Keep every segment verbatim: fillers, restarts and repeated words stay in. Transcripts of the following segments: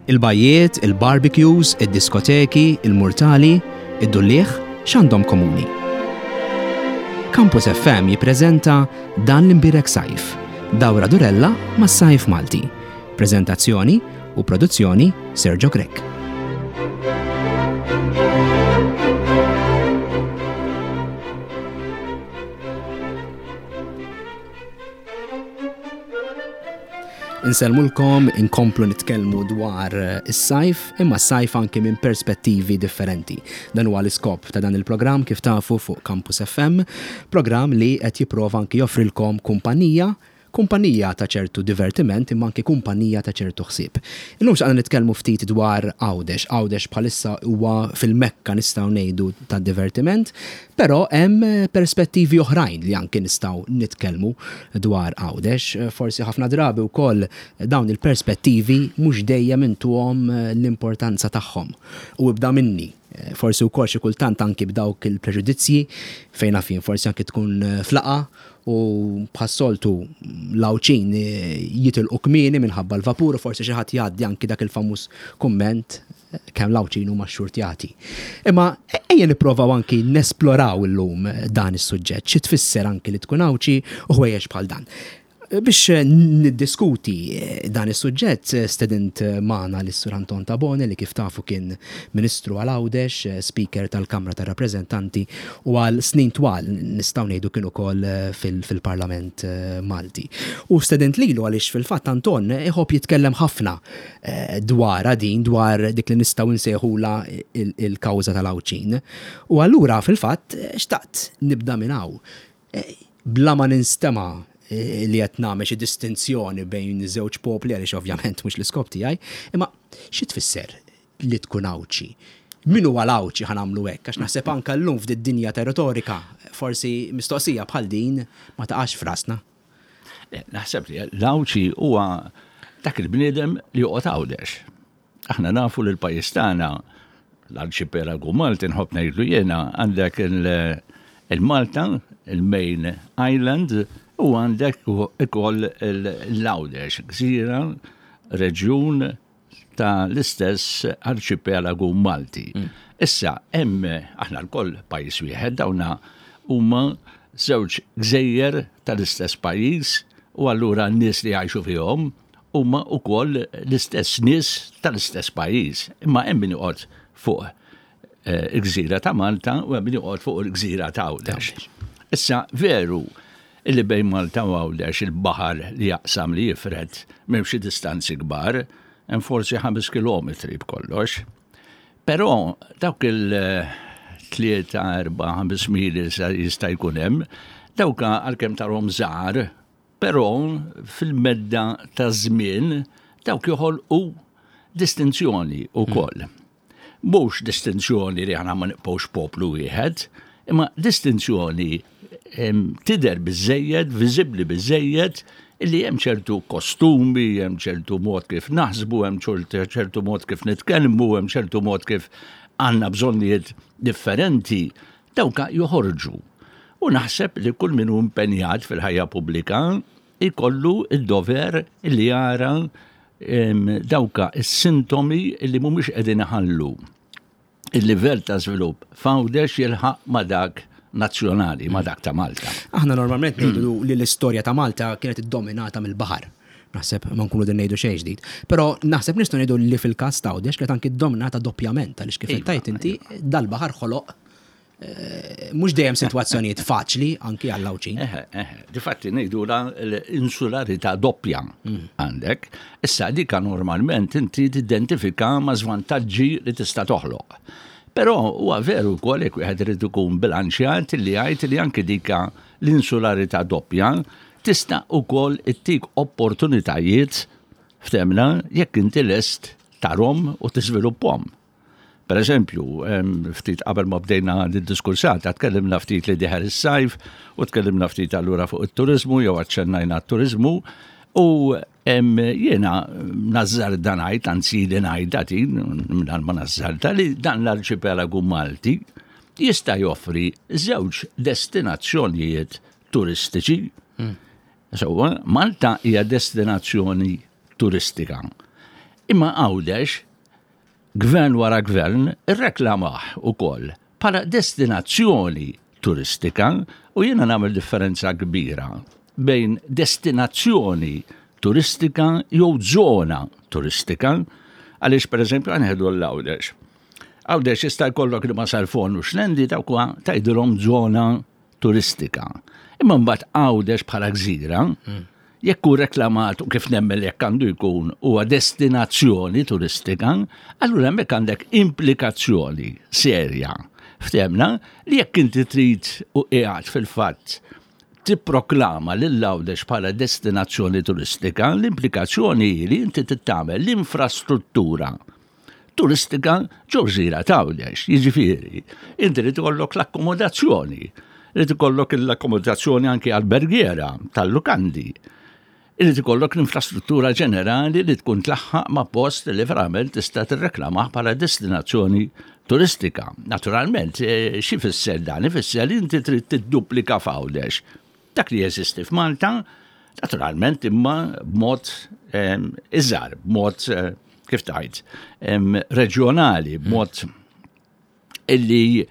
Il-bajjiet, il-barbecues, id-diskoteki, il-murtali, id-dulliegħ, x'għandhom komuni? Campus F M jippreżenta Dan l-Imbierek Sajf, dawra durella mas-sajf Malti. Prezentazzjoni u produzzjoni Sergio Grech. Insellmulkom, inkomplu nitkellmu dwar eh, is-sajf, imma s-sajf anki minn perspettivi differenti. Dan huwa l-iskop ta' dan il-programm, kif tafu, fuq Campus F M, programm li qed jipprova anki joffrilkom kumpanija kumpanija ta' ċertu divertiment, imma anki kumpanija ta' ċertu ħsieb. Illum xtaqna nitkellmu ftit dwar Għawdex. Għawdex bħalissa huwa fil-mekka, nistgħu ngħidu, ta' divertiment, però hemm perspettivi oħrajn li anki nistgħu nitkellmu dwar Għawdex. Forsi ħafna drabi wkoll dawn il-perspettivi mhux dejjem intuhom l-importanza tagħhom. U ibda minni, forsi wkoll xi kultant anki b'dawk il-preġudizzji fejn naf jien, forsi anki tkun f'laqgħa u bħas-soltu l-Għawdxin jitilqu kmieni minħabba l-vapur u forsi xi ħadd jgħaddi anki dak il-famuż kumment kemm l-Għawdxin huma xxurtjati. Imma ejja nipprovaw anki nesploraw illum dan is-suġġett, xi tfisser anki li tkun Għawdxi u ħwejjeġ bħal dan. Biex niddiskuti dan is-suġġett, stedint magħna lis-Sur Anton Tabone, li kif tafu kien Ministru għal Għawdex, Speaker tal-Kamra tar-Rappreżentanti u għal snin twal, nistgħu ngħidu, kien ukoll fil-Parlament Malti. U stedint lilu għaliex fil-fatt Anton iħobb jitkellem ħafna dwar din, dwar dik li nistgħu nsejħula il-kawża tal-Għawdxin. U allura fil-fatt xtaqt nibda minn hawn. Bla ma ninstema' li qed nagħmel xi distinzjoni bejn żewġ popli, għaliex ovvjament mhux l-iskop tiegħi, imma xi tfisser li tkun Għawdxi? Min huwa l-Għawdxi, ħa nagħmlu hekk, għax naħseb anke llum f'did dinja ta' retorika forsi mistoqsija bħal din ma taqax f'rasna. Naħseb li l-Għawdxi huwa dak il-bniedem li joqgħod Għawdex. Aħna nafu li l-pajjiż tagħna, l-arċipelagu Malti nħobb ngħidlu jiena, għandek il-Malta, il-main island, u għandek ukoll l-Għawdex, gżira, reġjun ta' l-istess arċipelagu Malti. Mm. Issa, hemm aħna lkoll pajjiż wieħed, dawna huma żewġ gżejjer tal-istess pajjiż u allura n-nies li jgħixu fihom huma wkoll l-istess nies tal-istess pajjiż. Imma hemm min joqgħod fuq eh, il-gżira ta' Malta u hemm min joqgħod fuq il-gżira ta' Għawdex. Issa veru illi bejn Malta u Għawdex il-baħar li jaqsam, li jifred, m'hemmx distanzi kbar, hemm forsi ħames kilometri b'kollox. Però dawk il-tlieta, erba', ħames mili jista' jkun hemm, dawk għalkemm tarhom żgħar, però fil-medda ta' żmien dawk joħolqu distinzjoni wkoll. Mhux distinzjoni li aħna ma nibqgħux poplu wieħed, imma distinzjoni tidher biżejjed, viżibbli biżejjed, illi hemm ċertu kostumi, hemm ċertu mod kif naħsbu, hemm ċertu mod kif nitkellmu, hemm ċertu mod kif għandna bżonnijiet differenti, dawka joħorġu. U naħseb li kull min hu impenjat fil-ħajja pubblika ikollu id-dover li jara dawka is-sintomi li mhumiex qegħdin iħallu il-livell ta' żvilupp f'Għawdex jilħaq ma' dak nazzjonali, ma' dak ta' Malta. Aħna normalment ngħidu li l-istorja ta' Malta kienet iddominata mill-baħar. Naħseb ma nkunu din ngħidu xejn ġdid. Però naħseb nistgħu ngħidu li fil-każ ta' Għawdex kienet anki dominata doppjament, għaliex kif Iva, tajt inti, iva. dal-baħar ħoloq eh, mhux dejjem sitwazzjonijiet faċli anki għall-Għawdxin. Eħe, eħe, difatti ngħidu l-insularità doppja għandek. Issa dika normalment inti tidentifika ma' żvantaġġi li tista' toħloq. Però huwa veru wkoll, jekk wieħed irid ikun bilanċjat, li jgħid li anke dika l-insularità doppja tista' wkoll ittik opportunitajiet, ftemna, jekk inti lest tarahom u tiżviluppahom. Per eżempju, ftit qabel ma bdejna d-diskursata, tkellimna ftit li dieħel is-sajf u tkellimna ftit allura fuq it-turizmu jew aċċennajna t-turizmu u jiena nażżarda ngħid, anzi li ngħid din minn ma nażżarda, li dan l-arċipelagu Malti jista' joffri żewġ destinazzjonijiet turistiċi. Mm. So, Malta hija destinazzjoni turistika. Imma Għawdex, gvern wara gvern, irreklamah ukoll bħala destinazzjoni turistika, u jiena nagħmel differenza kbira bejn destinazzjoni turistika jew żona turistika, għaliex pereżempju ħa nieħdu l-Għawdex. Għawdex jista' jkollok li Marsalforn u Xlendi, dawk huwa tgħidilhom żona turistika. Imma mbagħad Għawdex bħala gżira, jekk hu reklamat, u kif nemmen jekk għandu jkun, huwa destinazzjoni turistika, allura hemmhekk għandek implikazzjoni serja. Ftehemna li jekk inti trid u qiegħed fil-fatt tipproklama lil Għawdex bħala destinazzjoni turistika, l-implikazzjoni hi li inti tagħmel l-infrastruttura turistika ġo gżira t'Għawdex. Jiġifieri, inti li tkollok l-akkomodazzjoni, li tkollok l-akkomodazzjoni anki albergiera tal-lukandi, li tkollok l-infrastruttura ġenerali li tkun tlaħħaq ma' post li verament tista' tirreklamah bħala destinazzjoni turistika. Naturalment, eh, xi fisser dan? Ifisser li inti trid tidduplika f'Għawdex dak li jeżisti f'Malta, naturalment imma b'mod ehm, iżgħar, b'mod eh, kif tgħid, ehm, reġjonali, b'mod illi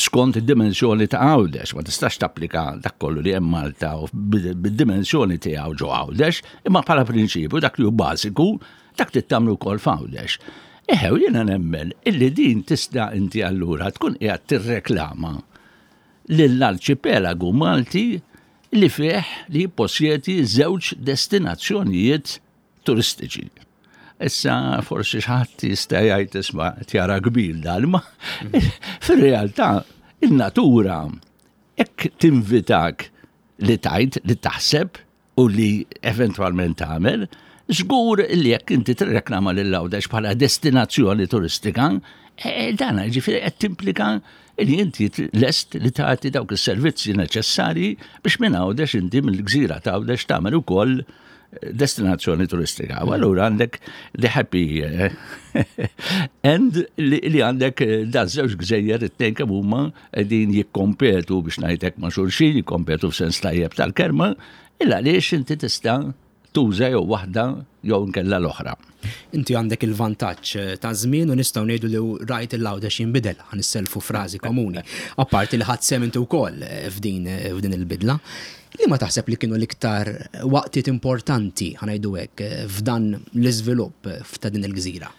skont id-dimensjoni ta' Għawdex, ma tistax tapplika dak kollu li hemm Malta u bid-dimensjoni tiegħu ġo Għawdex, imma bħala prinċipju dak li hu bażiku, dak trid tagħmlu wkoll f'Għawdex. Eħew jiena nemmen illi din tista' inti allura tkun qiegħed tirreklama lill-arċipelagu Malti li fih li jipposjedi żewġ destinazzjonijiet turistiċi. Issa forsi xi ħadd jista' jgħid, "Isma', tjara kbir dan", ma fir-realtà in-natura hekk tinvitak li tgħid, li taħseb u li eventwalment tagħmel. Żgur li jekk inti tirreklama lil Għawdex bħala destinazzjoni turistika, e, dan ġifieri qed timplika li inti lest li tagħti dawk is-servizzi neċessarji biex minn Għawdex, inti mill-gżira ta' Għawdex tagħmel ukoll destinazzjoni turistika. U allura għandek the happy eh, end li li għandek eh, da żewġ gżejjer, it-tnejn kemm huma qegħdin jikkompetu, biex ngħidlek, ma' xulxin, jikkompetu f'sens tajjeb tal-kelma, illa għaliex inti tista' tuża jew waħda jew nkella l-oħra. Inti għandek il-vantaġġ eh, ta' żmien u nistgħu ngħidu li rajt il-Għawdex jinbidel, ħa nisselfu frażi komuni. Apparti li ħadt sehem inti wkoll eh, f'din eh, f'din il-bidla. Li ma taħseb li kienu l-iktar waqtiet importanti, ħa ngħidu hekk, eh, f'dan l-iżvilupp f'ta' din il-gżira?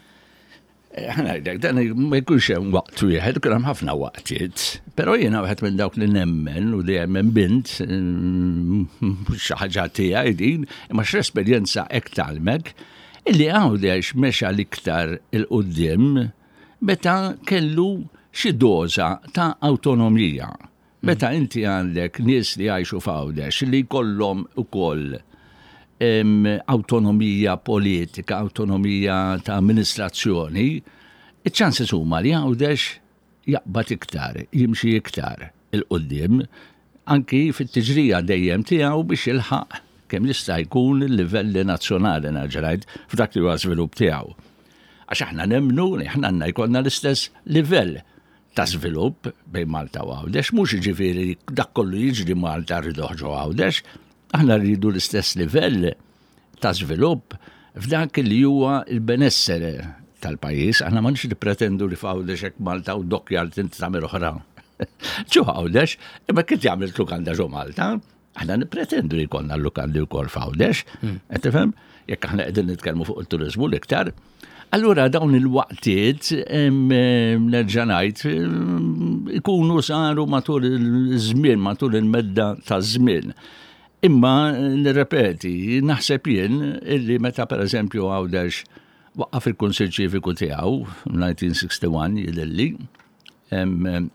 Ħa ngħidlek, dan ma jkunx hemm waqt wieħed, kien hemm ħafna waqtiet. Però jiena wieħed minn dawk li nemmen u dejjem emmint, mm, xi ħaġa tiegħi din, imma x'esperjenza hekk tgħallmek, illi Għawdex mexa l-iktar 'il quddiem meta kellu xi doża ta' awtonomija. Meta inti għandek nies li jgħixu f'Għawdex li jkollhom ukoll em, awtonomija politika, awtonomija ta' amministrazzjoni, iċ-chances huma li Għawdex jaqbad iktar, jimxi iktar 'il quddiem, anki fit-tiġrija dejjem tiegħu biex jilħaq kemm jista' jkun il-livelli nazzjonali, nerġa' ngħid, f'dak li huwa żvilupp tiegħu. Għax aħna nemmnu li aħna għandna jkollna l-istess livell ta' żvilupp bejn Malta u Għawdex, mhux jiġifieri dak kollu jiġri Malta rridu ġo Għawdex, aħna rridu l-istess livell ta' żvilupp f'dak li huwa il-benessere tal-pajjiż. Aħna ma nix nippretendu li f'Għawdex hekk Malta u dockyard inti tagħmel oħra ġo Għawdex, imma kif jagħmel lukanda ġo Malta, aħna nippretendu li jkollna l-lukandi wkoll f'Għawdex, qed tifhem? Jekk aħna qegħdin nitkellmu fuq il-turiżmu l-iktar. Allura dawn il-waqtiet, em, em, nerġa' ngħid, em, ikunu saru matul il-żmien, matul il-medda ta' żmien. Imma nirrepeti, naħseb jien illi meta pereżempju Għawdex waqqaf il-Kunsill Ċiviku tiegħu fil-elf disa' mija u wieħed u sittin jidhirli, em,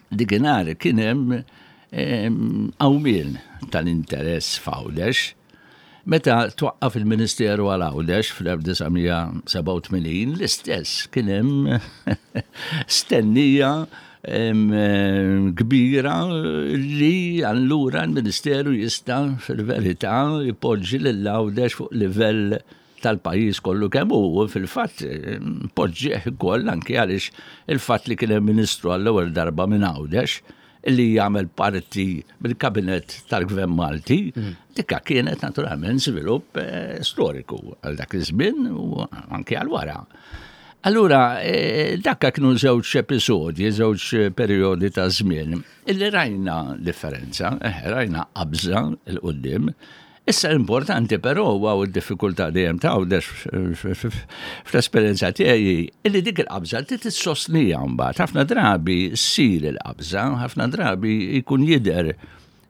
dikinhar kien hemm em, qawmien tal-interess f'Għawdex. Meta twaqqaf il-Ministeru għal Għawdex fl-elf disa' mija u sebgħa u tmenin, l-istess kien hemm stennija em, em, kbira li allura l-Ministeru jista' fil-verità jpoġġi lil Għawdex fuq livell tal-pajjiż kollu kemm hu. Fil-fatt poġġih ukoll, anke għaliex il-fatt li kien hemm ministru għall-ewwel darba minn Għawdex. li jagħmel parti mill-kabinet tal-Gvern Malti, dikka kienet naturalment żvilupp eh, storiku għal dak iż-żmien u anke għal wara. Allura, eh, dakka kienu żewġ episodji, żewġ periodi ta' żmien, illi rajna differenza, eh, rajna qabża 'l quddiem. Issa importanti però huwa d-diffikultà dejjem ta' Għawdex fl-esperjenza tiegħi illi dik il-qabża trid tissostnija mbagħad. Ħafna drabi ssir il-qabża, ħafna drabi jkun jidher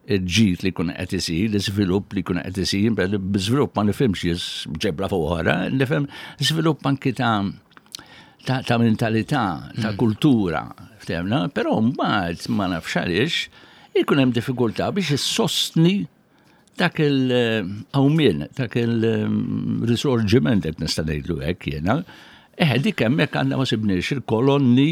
il-ġid li jkun qed isir, l-iżvilupp li jkun qed isir, b'iżvilupp ma nifhimx ġebla fuq oħra, nifhem żvilupp anki ta' ta', ta' mentalità, ta' kultura, ftemna, però mbagħad ma nafx għaliex ikun hemm diffikultà biex issostni dak il-qawmien, dak il-risorġiment qed nista' ngħidlu hekk jiena. Eh, dik hemmhekk għandna ma sibniex il-kolonni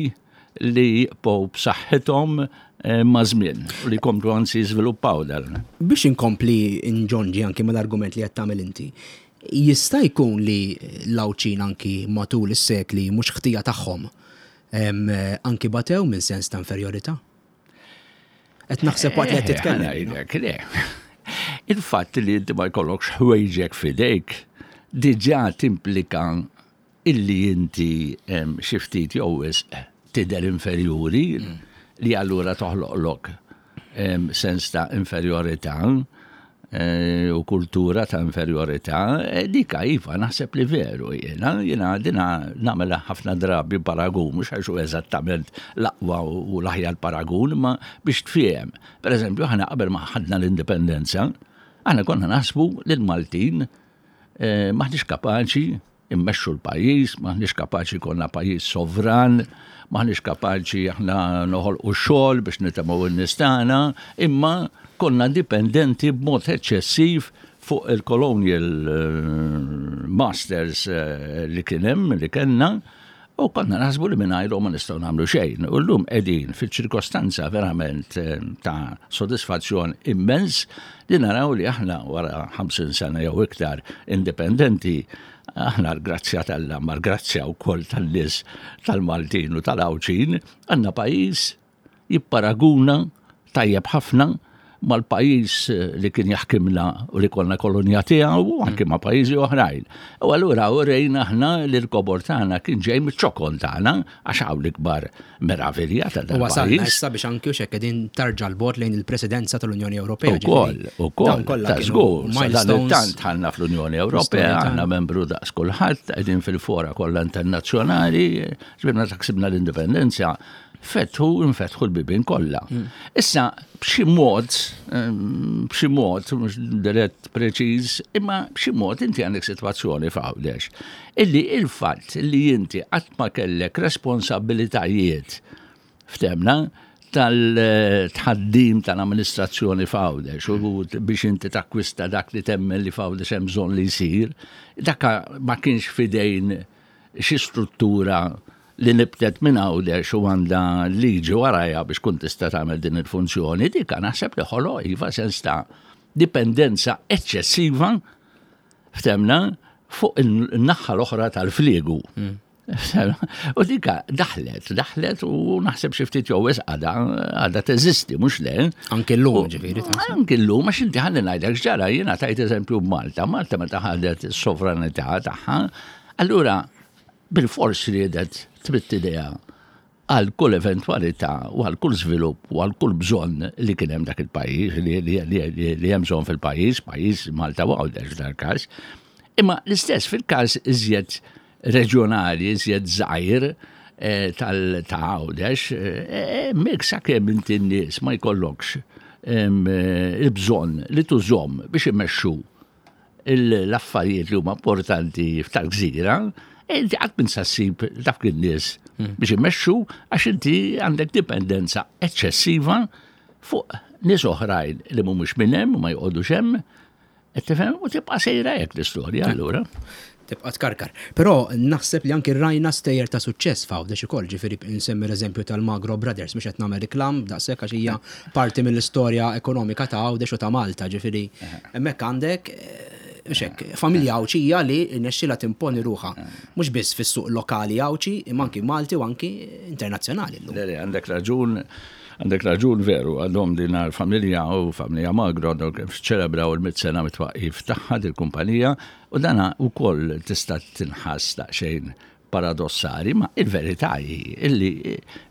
li jibqgħu b'saħħithom eh, ma' żmien u li jkomplu anzi jiżviluppaw dan. Biex inkompli nġonġi anki mal-argument li qed tagħmel inti, jista' jkun li l-Għawdxin anki matul is-sekli mhux ħtija tagħhom em, anki batew minn sens ta' inferjorità? Qed naħseb waqt li qed Eh, titkellem. ħa ngħidlek, le. Il-fatt li inti ma jkollokx ħwejġek f'idejk diġà timplika illi inti em, xi ftit jew wisq tidher inferjuri li allura toħloqlok em, sens ta' inferjorità eh, u kultura ta' inferjorità, eh, dika iva naħseb li veru jiena, jiena dina nagħmel ħafna drabi paragun, mhux għax hu eżattament l-aqwa u l-aħjar paragun, ma biex tfiem. Per eżempju, aħna qabel ma ħadna l-indipendenza, aħna konna naħsbu li l-Maltin eh, maħniex kapaċi immexxu l-pajjiż, maħniex kapaċi konna pajjiż sovran, maħniex kapaċi aħna noħolqu xogħol biex nitemgħu n-nies tagħna, imma konna dipendenti b'mod eċċessiv fuq il-colonial eh, masters eh, li kien hemm, li kellna, u konna naħsbu li mingħajrhom ma nistgħu nagħmlu xejn. U llum qegħdin fil-ċirkostanza verament eh, ta' sodisfazzjon immens li naraw li aħna wara ħamsin sena jew iktar indipendenti, aħna l-grazzja t'Alla, ma l-grazzja wkoll tan-nies tal-Maltin u tal-Għawdxin, għandna pajjiż jipparaguna tajjeb ħafna mal-pajjiż li kien jaħkimna u li konna kolonja tiegħu u anke ma' pajjiżi oħrajn. U allura urejna aħna li l-kobor tagħna kien ġej miċ-ċokon tagħna għax hawn l-ikbar meravilja ta' U wasalna dal-pajjiż. issa biex anki u xek qegħdin tarġa 'l bogħod lejn il-presidenza tal-Unjoni Ewropea. Ukoll, ġifieri, ukoll, dawn kollha ta' kienu żgur, milestones. tant ħanna fl-Unjoni Ewropea, L-istorja għandna tagħna. membru daqs kulħadd, qegħdin fil-fora kollha internazzjonali, ġbirna ta' ksibna l-indipendenza, fetħu, infetħu l-bibin kollha. Issa, b'xi mod, ehm, b'xi mod, mhux dirett preċiż, imma b'xi mod inti għandek sitwazzjoni f'Għawdex, illi il-fatt li inti qatt ma kellek responsabilitajiet ftemna tal-tħaddim tal-amministrazzjoni f'Għawdex u biex inti takkwista dak li temmen li f'Għawdex hemm bżonn li jsir, dakka ma kienx fidejn xi struttura li nibtet minn Għawdex u għandha liġi warajha biex kun tista' tagħmel din il-funzjoni, dika naħseb li ħoloq iva sens ta' dipendenza eċċessiva ftemna fuq il-naħa l-oħra tal-fliegu. U dika daħlet, daħlet u naħseb xi ftit jew wisq għadha għadha teżisti, mhux le. Anke llum, ġifieri, taħseb. Anke llum, għax inti ħalli ngħidlek x'ġara, jiena tajt eżempju b'Malta. Malta meta ħadet is-sovranità tagħha, allura bil-fors riedet tmidd idejha għal kull eventwalità u għal kull żvilupp u għal kull bżonn li kien hemm dak il-pajjiż, li, li, li, li, li hemm bżonn fil-pajjiż, pajjiż Malta u Għawdex f'dal każ. Imma l-istess fil-każ iżjed reġjonali, iżjed żgħir eh, tal ta' Għawdex, eh, hemmhekk sakemm inti n-nies ma jkollokx em, eh, il-bżonn li tużhom biex imexxu l-affarijiet li huma importanti f'tal-gżira, inti qatt minn sa ssib dawk in-nies biex imexxu għax inti għandek dipendenza eċċessiva fuq nies oħrajn li mhumiex minn hemm u ma joqogħdux hemm, qed tifhem u tibqa' sejra hekk l-istorja allura. Tibqa' tkarkar. Però naħseb li anki rajna stejjer ta' suċċess f'Għawdex ukoll, ġifieri nsemmi l-eżempju tal-Magro Brothers, mhux qed nagħmel reklam daqshekk għax hija parti mill-istorja ekonomika ta' Għawdex u ta' Malta, ġifieri hemmhekk għandek eh, mhux hekk, familja Għawdxija li rnexxielha timponi ruħha mhux biss fis-suq lokali Għawdxi, imma anki Malti u anki internazzjonali llum. Le, le, għandek raġun. Għandek raġun veru, għadhom din familja u familja Magro għadhom ċelebraw il-mitt sena mit-twaqqif tagħha dil-kumpanija u dana wkoll tista' tinħass daqsxejn paradossali, ma il-verità hi illi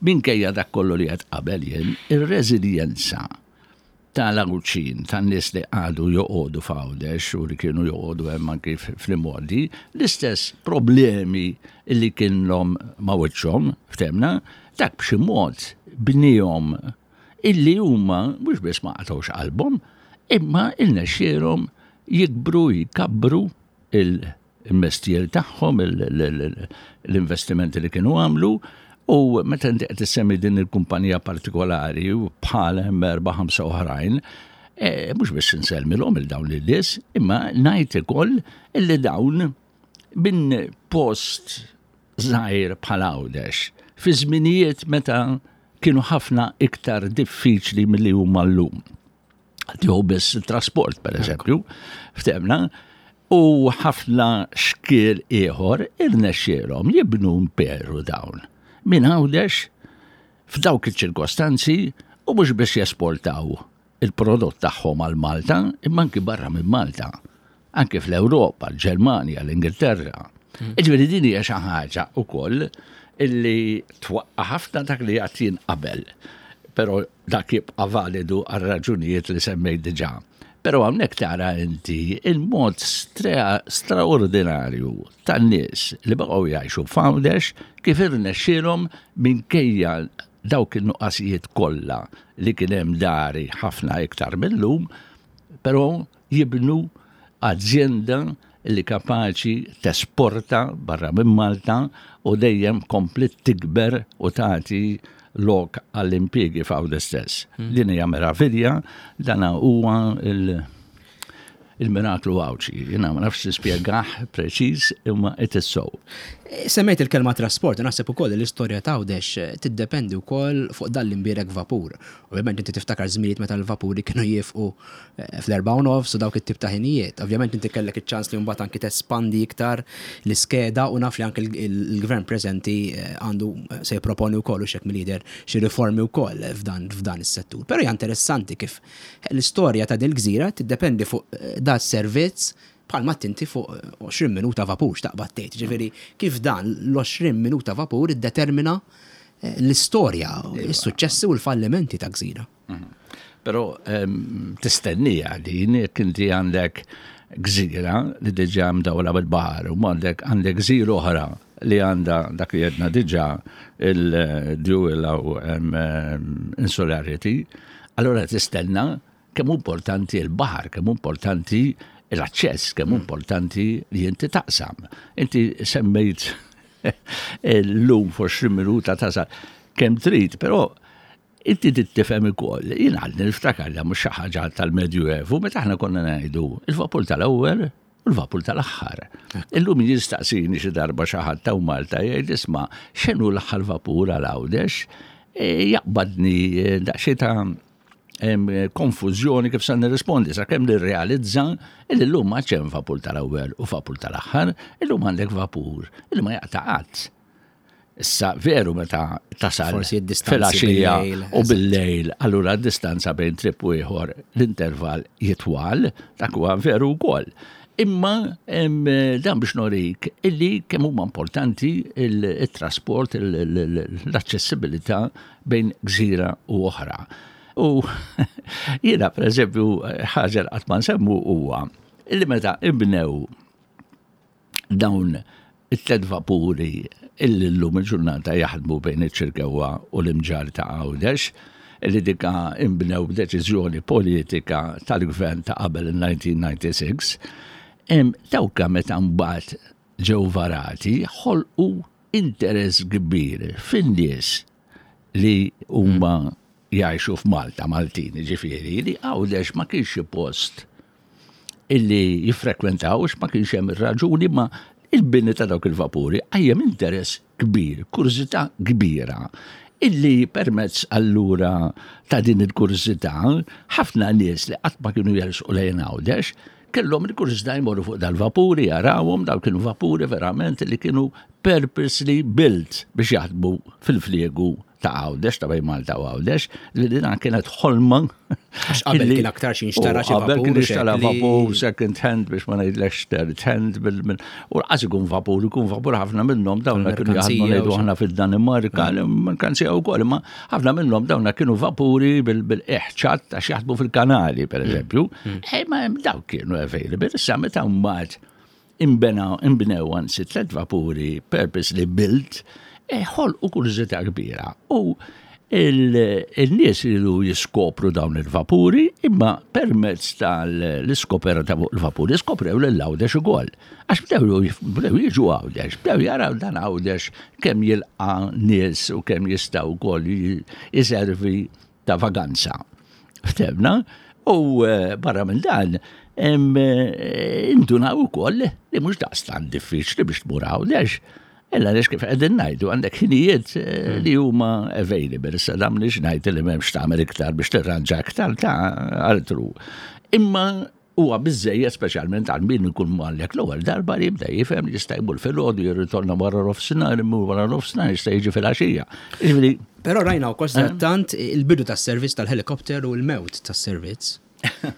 minkejja dak kollu li qed qabel jien, ir-reżiljenza tal-Għawdxin, tan-nies li għadu joqogħdu f'Għawdex u li kienu joqogħdu hemm anki fl-imgħoddi, l-istess problemi li kienhom ma' wiċċhom, ftemna, dak b'xi mod bnihom illi huma mhux biss ma qatgħux qalbhom, imma irnexxielhom jikbru, jkabbru il-mestier tagħhom, l-investimenti li kienu għamlu. U meta inti qed issemmi din il-kumpanija partikolari u bħal hemm erba' ħamsa oħrajn, e, mhux biss insellmilhom il dawn il-nies, imma ngħid ukoll illi dawn minn post żgħir bħal Għawdex, fi żminijiet meta kienu ħafna iktar diffiċli milli huma llum. Tieħu biss il-trasport, per eżempju, ftemna, u ħafna xkiel ieħor irnexxielhom jibnu imperu dawn. Minn Għawdex f'dawk iċ-ċirkostanzi u mhux biex jesportaw il-prodott tagħhom għal Malta, imma anki barra minn Malta, anki fl-Ewropa, l-Ġermanja, l-Ingilterra. Ġifieri din hija xi ħaġa wkoll illi twaqqa' ħafna dak li għedt jien qabel, però dak jibqa' validu għal raġunijiet li semmejt diġà. Però hawnhekk tara inti il-mod straordinarju tan-nies li baqgħu jgħixu f'Għawdex kif irnexxielhom minkejja dawk in-nuqqasijiet kollha li kien hemm dari ħafna iktar millum, però jibnu azienda li kapaċi tesporta barra minn Malta u dejjem komplet tikber u tagħti lok għall-impjiegi f'Għawdex stess. Din hija meravilja, dana huwa il-miraklu Għawdxi. Jiena ma nafx nispjegah preċiż imma it is so. Semmejt il-kelma trasport, naħseb ukoll l-istorja ta' Għawdex tiddependi wkoll fuq dan l-imbierek vapur. Ovvjament inti tiftakar żminijiet meta l-vapuri kienu jifqu fl-erba' u nofs u dawk it-tip ta' ħinijiet. Ovvjament inti kellek iċ-ċans li mbagħad anki tespandi iktar l-iskeda u naf li anke il-gvern preżenti għandu se jipproponi wkoll u xek mill-lider xi riformi wkoll f'dan f'dan is-settur. Però hija interessanti kif l-istorja ta' din il-gżira tiddependi fuq da servizz bħalma tinti fuq għoxrin minuta vapur x'taqbad tgħid. Ġifieri kif dan l-għoxrin minuta vapur iddetermina l-istorja, is-suċċessi u l-fallimenti ta' gżira. Però tistennija din jekk inti għandek gżira li diġà mdawla bil-baħar u għandek għandek gżira oħra li għandha dak li għedna diġà il-dual insularity, allora tistenna kemm importanti l-baħar, kemm importanti l-aċċess, kemm importanti li inti taqsam. Inti semmejt l-lum f'għoxrin minuta tasal kemm trid, però inti tifhem ukoll. Jien għadni niftakar li mhux xi ħaġa tal-Medjuevu meta aħna konna ngħidu il-vapur tal-ewwel u l-vapur tal-aħħar. Illum jistaqsini xi darba xi ħadd ta' Malta jgħid isma' x'inhu l-aħħar vapur għal Għawdex, jaqbadni daqsxejn ta' konfużjoni kif sa nirrispondi sakemm nirrealizza illi llum ma hemm vapur tal-ewwel u vapur tal-aħħar, illum għandek vapur illi ma jaqta' qatt. Issa veru meta tasal filgħaxija u bil-lejl, allura d-distanza bejn trip u ieħor l-intervall jitwal, dak huwa veru wkoll. Imma dan biex norik illi kemm huma importanti il-trasport, l-aċċessibilità bejn gżira u oħra. U jiena per eżempju ħaġa li qatt ma nsemmu huwa illi meta ibnew dawn it-tliet vapuri illi llum il-ġurnata jaħdmu bejn iċ-Ċirkewwa u l-Imġarr ta' Għawdex, illi dika imbnew b'deċiżjoni politika tal-gvern ta' qabel il-nineteen ninety-six, dawka meta mbagħad ġew varati ħolqu interess kbir fin-nies li huma jgħixu f'Malta, Maltin, ġifieri, li Għawdex ma kienx xi post illi jiffrekwentawx, ma kienx hemm ir-raġuni, ma il-bini ta' dawk il-vapuri qajjem interess kbir, kurżità kbira, illi permezz allura ta' din il-kurżità ħafna nies li qatt ma kienu jersqu lejn Għawdex kellhom il-kurżità jmorru fuq dal-vapuri, jarawhom, dawk kienu vapuri verament li kienu purposely built biex jaħdmu fil-fliegu ta' Għawdex, ta' bejn Malta u Għawdex, li din kienet ħolma. Għax qabel kien aktar xi nxtara xi Qabel kien vapur, ixtara xekli. vapur second hand biex ma ngħidlekx third hand bil- u lanqas ikun vapur, ikun vapur ħafna minnhom dawna kienu jaħdmu Merkanzija ngħidu u xi- aħna fid-Danimarka, merkanzija wkoll, imma ħafna minnhom dawna kienu vapuri bil-eħċat għax jaħdmu fil-kanali, per eżempju. Eh, ma dawk kienu available, issa meta mbagħad imbena imbnew anzi tliet vapuri purposely built, e ħolqu kurżità kbira. U il-nies iridu jiskopru dawn il-vapuri, imma permezz tal-iskoperta fuq il-vapuri, skoprew l-Għawdex ukoll. Għax bdew bdew jiġu Għawdex, bdew jaraw dan Għawdex kemm jilqa' nies u kemm jistgħu wkoll jiservi ta' vaganza. Ftehmna? U eh, barra minn dan, em, eh, indunaw ukoll li mhux daqstant diffiċli biex tmur Għawdex. Illa għaliex kif qegħdin ngħidu għandek ħinijiet eh, li huma available. Issa dan mhux ngħid li m'hemmx tagħmel iktar biex tirranġa iktar ta' altru. Imma huwa biżejjed speċjalment għal min ikun mallek l-ewwel darba li jibda jifhem li jista' jmur filgħodu jirritorna wara nofsinhar, imur wara nofsinhar jista' jiġi filgħaxija. Jiġifieri Però rajna wkoll tant il-bidu tas-servizz tal-helikopter u l-mewt tas-servizz.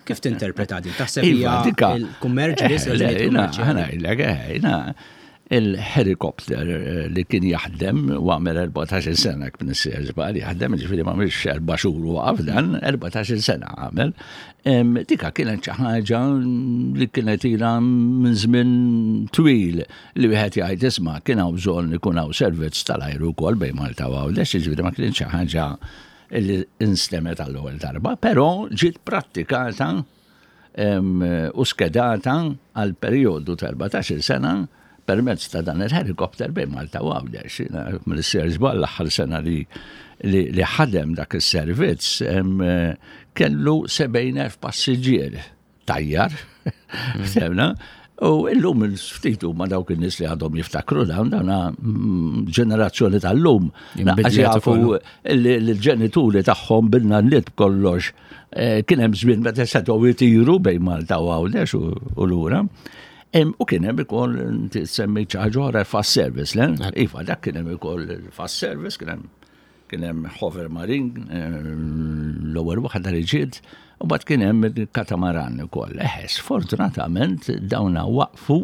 Kif tinterpreta din? Taħseb hija Iva, dika. il-kummerċ biss, Eh, le, raġunijiet jina, kummerċjali? ħa ngħidlek, eh, jina, il-helikopter eh, li kien jaħdem u għamel erbatax-il sena kien issir żball jaħdem, ġifieri ma mhix erba' xhur u waqaf dan, erbatax-il sena għamel. Em, Dika kienet xi ħaġa li kienet ilha minn żmien twil li wieħed jgħid isma' kien hawn bżonn ikun hawn servizz tal-ajru wkoll bejn Malta u Għawdex, ġifieri ma kienx xi ħaġa li instemmet għall-ewwel darba, però ġiet prattikata em, u skedata għal periodu ta' erbatax-il sena permezz ta' dan il-helikopter bejn Malta u Għawdex. Mill-ser żball l-aħħar sena li li, li ħadem dak is-servizz em, kellu sebgħin elf passiġġier tajjar, ftehmna, u illum il-ftit huma dawk in-nies li għadhom jiftakru dawn dawna mm, ġenerazzjoni tal-lum. Inbidlet Għax jafu ukoll. li l-ġenituri tagħhom bin-nanniet b'kollox eh, kien hemm żmien meta setgħu jtiru bejn Malta u Għawdex u u lura. Em, U kien hemm ukoll inti semmi xi ħaġa oħra fast service, le? Iva, dak kien hemm ukoll il-fast service, kien hemm kien hemm Hover Marine, eh, l-ewwel waħda li ġiet, u mbagħad kien hemm il-katamaran ukoll. Eħe, sfortunatament dawna waqfu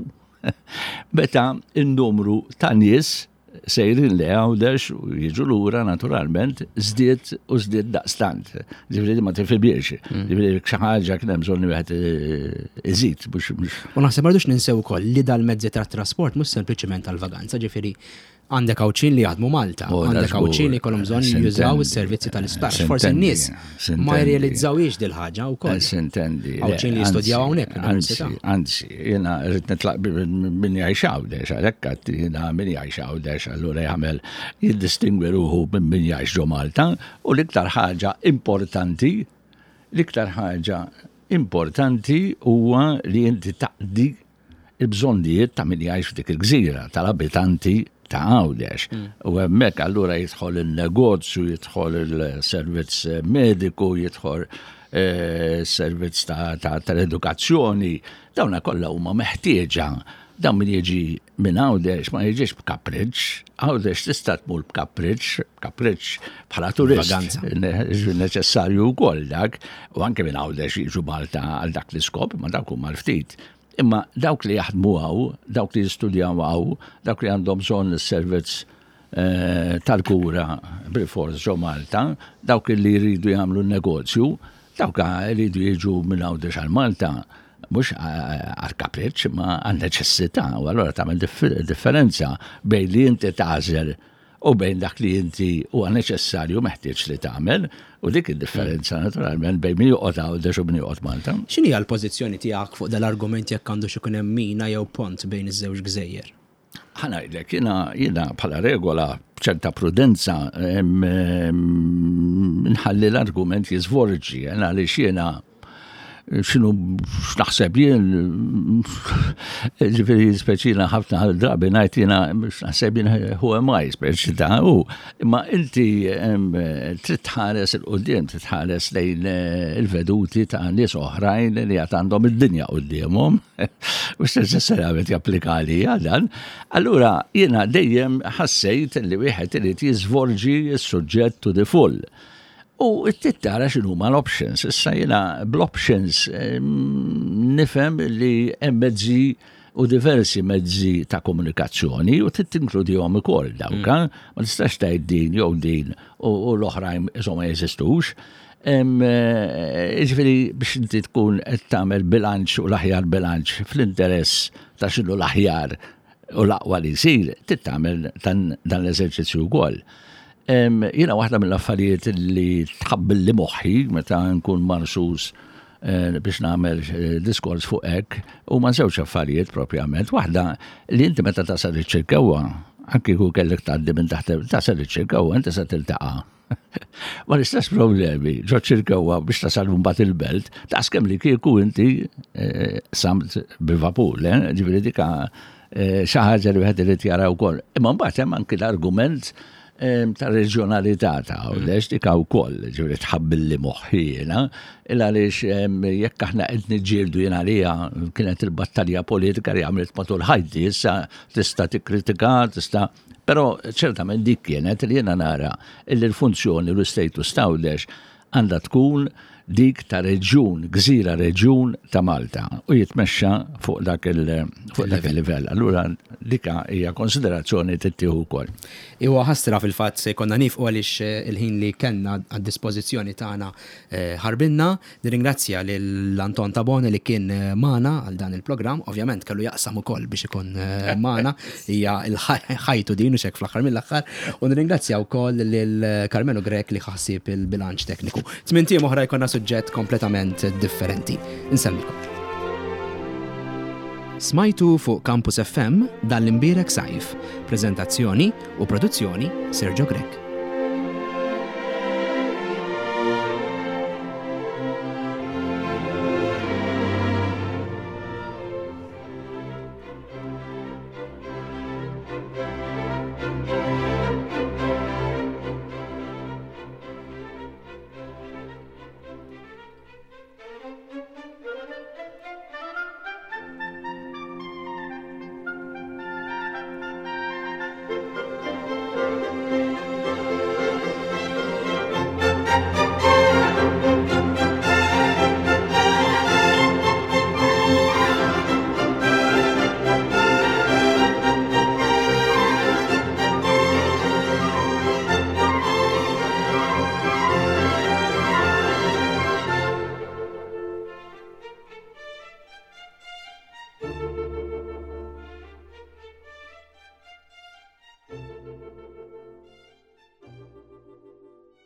meta n-numru ta' nies sejrin li Għawdex u jiġu lura naturalment żdied u żdied daqstant. Ġifieri ma tifhimx. Ġifieri xi ħaġa kien hemm bżonn wieħed eh, iżid mhux mhux U naħseb ma rridux ninsew ukoll li dal-mezzi ta' trasport mhux sempliċement tal-vaganza, ġifieri għandek Għawdxin li jaħdmu Malta, Oh, għandek da żgur. Għawdxin li jkollhom bżonn jużaw Sintendi. is-servizzi tal-isptar. Forsi Sintendi, n-nies ma sintendi. jirrealizzawx dil-ħaġa wkoll. Sintendi. Għawdxin li jistudjaw hawnhekk Anzi, l-università. anzi, jiena rrid nitlaq min jgħix Għawdex, għalhekk għedt jiena min jgħix Għawdex, allura jagħmel jiddistingwi ruħu minn min jgħix ġo Malta, u l-iktar ħaġa importanti, l-iktar ħaġa importanti huwa li inti taqdi il-bżonnijiet ta' min jgħix f'dik il-gżira, tal-abitanti ta' Għawdex. U hemmhekk allura jidħol il-negozju, jidħol il-servizz mediku, jidħol eh, servizz ta' ta' tal-edukazzjoni, dawna kollha huma meħtieġa. Dawn min jiġi minn Għawdex ma jiġix b'kapriċ, Għawdex tista' tmur b'kapriċ, b'kapriċ bħala turist. Vaganza. Ne- neċessarju wkoll dak, u anke minn Għawdex jiġu Malta għal dak l-iskop, ma dawk huma l-ftit. Imma dawk li jaħdmu hawn, dawk li jistudjaw hawn, dawk li għandhom bżonn is-servizz eh, tal-kura bil-fors ġo Malta, dawk li jridu jagħmlu n-negozju, dawk jridu jiġu minn Għawdex għal Malta, mhux għal kapriċ, ma għal neċessità, u allura tagħmel differ- differenza bejn li inti tagħżel u bejn dak li inti huwa neċessarju meħtieġ li tagħmel, u dik id-differenza naturalment bejn min joqgħod Għawdex u min joqgħod Malta. X'inhi l-pożizzjoni tiegħek fuq dal-argument jekk għandu xi jkun hemm mina jew pont bejn iż-żewġ gżejjer? Ħa ngħidlek, jiena, jiena bħala regola b'ċerta prudenza em, em, nħalli l-argument jiżvolġi, jena għaliex jiena X'inhu x'naħseb jien, ġifieri speċina ħafna drabi ngħid jiena x'naħseb jien, who am I, speċi ta' u imma inti trid tħares 'il quddiem, trid tħares lejn eh, il-veduti ta' nies oħrajn li għad għandhom id-dinja quddiemhom. Mhux neċessarjament japplika li dan. Allura jiena dejjem ħassejt li wieħed irid jiżvolġi s-suġġett to the full. U trid tara x'inhuma l-options. Issa jiena bl-options nifhem li hemm mezzi u diversi mezzi ta' komunikazzjoni u trid tinkludihom ukoll dawk. Mm. Ma tistax tgħid din jew din u l-oħrajn insomma jeżistux. Eh, ġifieri biex inti tkun qed tagħmel bilanċ u l-aħjar bilanċ fl-interess ta' x'inhu l-aħjar u l-aqwa li jsir, trid tagħmel dan l-eżerċizzju wkoll. Jiena waħda mill-affarijiet li tħabbilli moħħi meta nkun marsus eh, biex nagħmel eh, diskors fuq hekk huma żewġ affarijiet propjament. Waħda li inti meta tasal iċ-Ċirkewwa, anki kieku kellek tgħaddi minn taħt tasal iċ-Ċirkewwa, inti se tiltaqa' ma l-istess problemi ġo Ċirkewwa biex tasal mbagħad il-belt, daqskemm li kieku inti eh, samt bil-vapur, ġifieri dika xi ħaġa li wieħed irid jara wkoll. Imma mbagħad hemm anki l-argument ta' reġjonalità ta' Għawdex dik wkoll, ġifieri tħabbilli moħħi jiena, il għaliex jekk aħna qed niġġieldu, jien għalija kienet il-battalja politika li għamilt matul ħajti, issa tista' tikkritika, tista', però ċertament dik kienet li jiena nara illi l-funzjoni u l-status ta' Għawdex għandha tkun dik ta' reġjun, gżira reġjun ta' Malta u jitmexxa fuq dak il-livell. Allura dika hija konsiderazzjoni tittieħu wkoll. Iwa, ħasra, fil-fatt se jkollna nieqfu għaliex eh, il-ħin li kellna għad-dispożizzjoni tagħna eh, ħarbinna. Nirringrazzja lil Anton Tabone li kien eh, magħna għal dan il-programm. Ovvjament kellu jaqsam ukoll biex ikun magħna, hija l-ħajtu din u xek fl-aħħar mill-aħħar. U nirringrazzja wkoll lil Carmelo Grech li ħassib il-bilanċ tekniku. Tmint ijiem oħra jkollna suġġett kompletament differenti. Insellmilkom. Smajtu fuq Campus F M Dan l-Imbierek Sajf. Prezentazzjoni u produzzjoni Sergio Grech.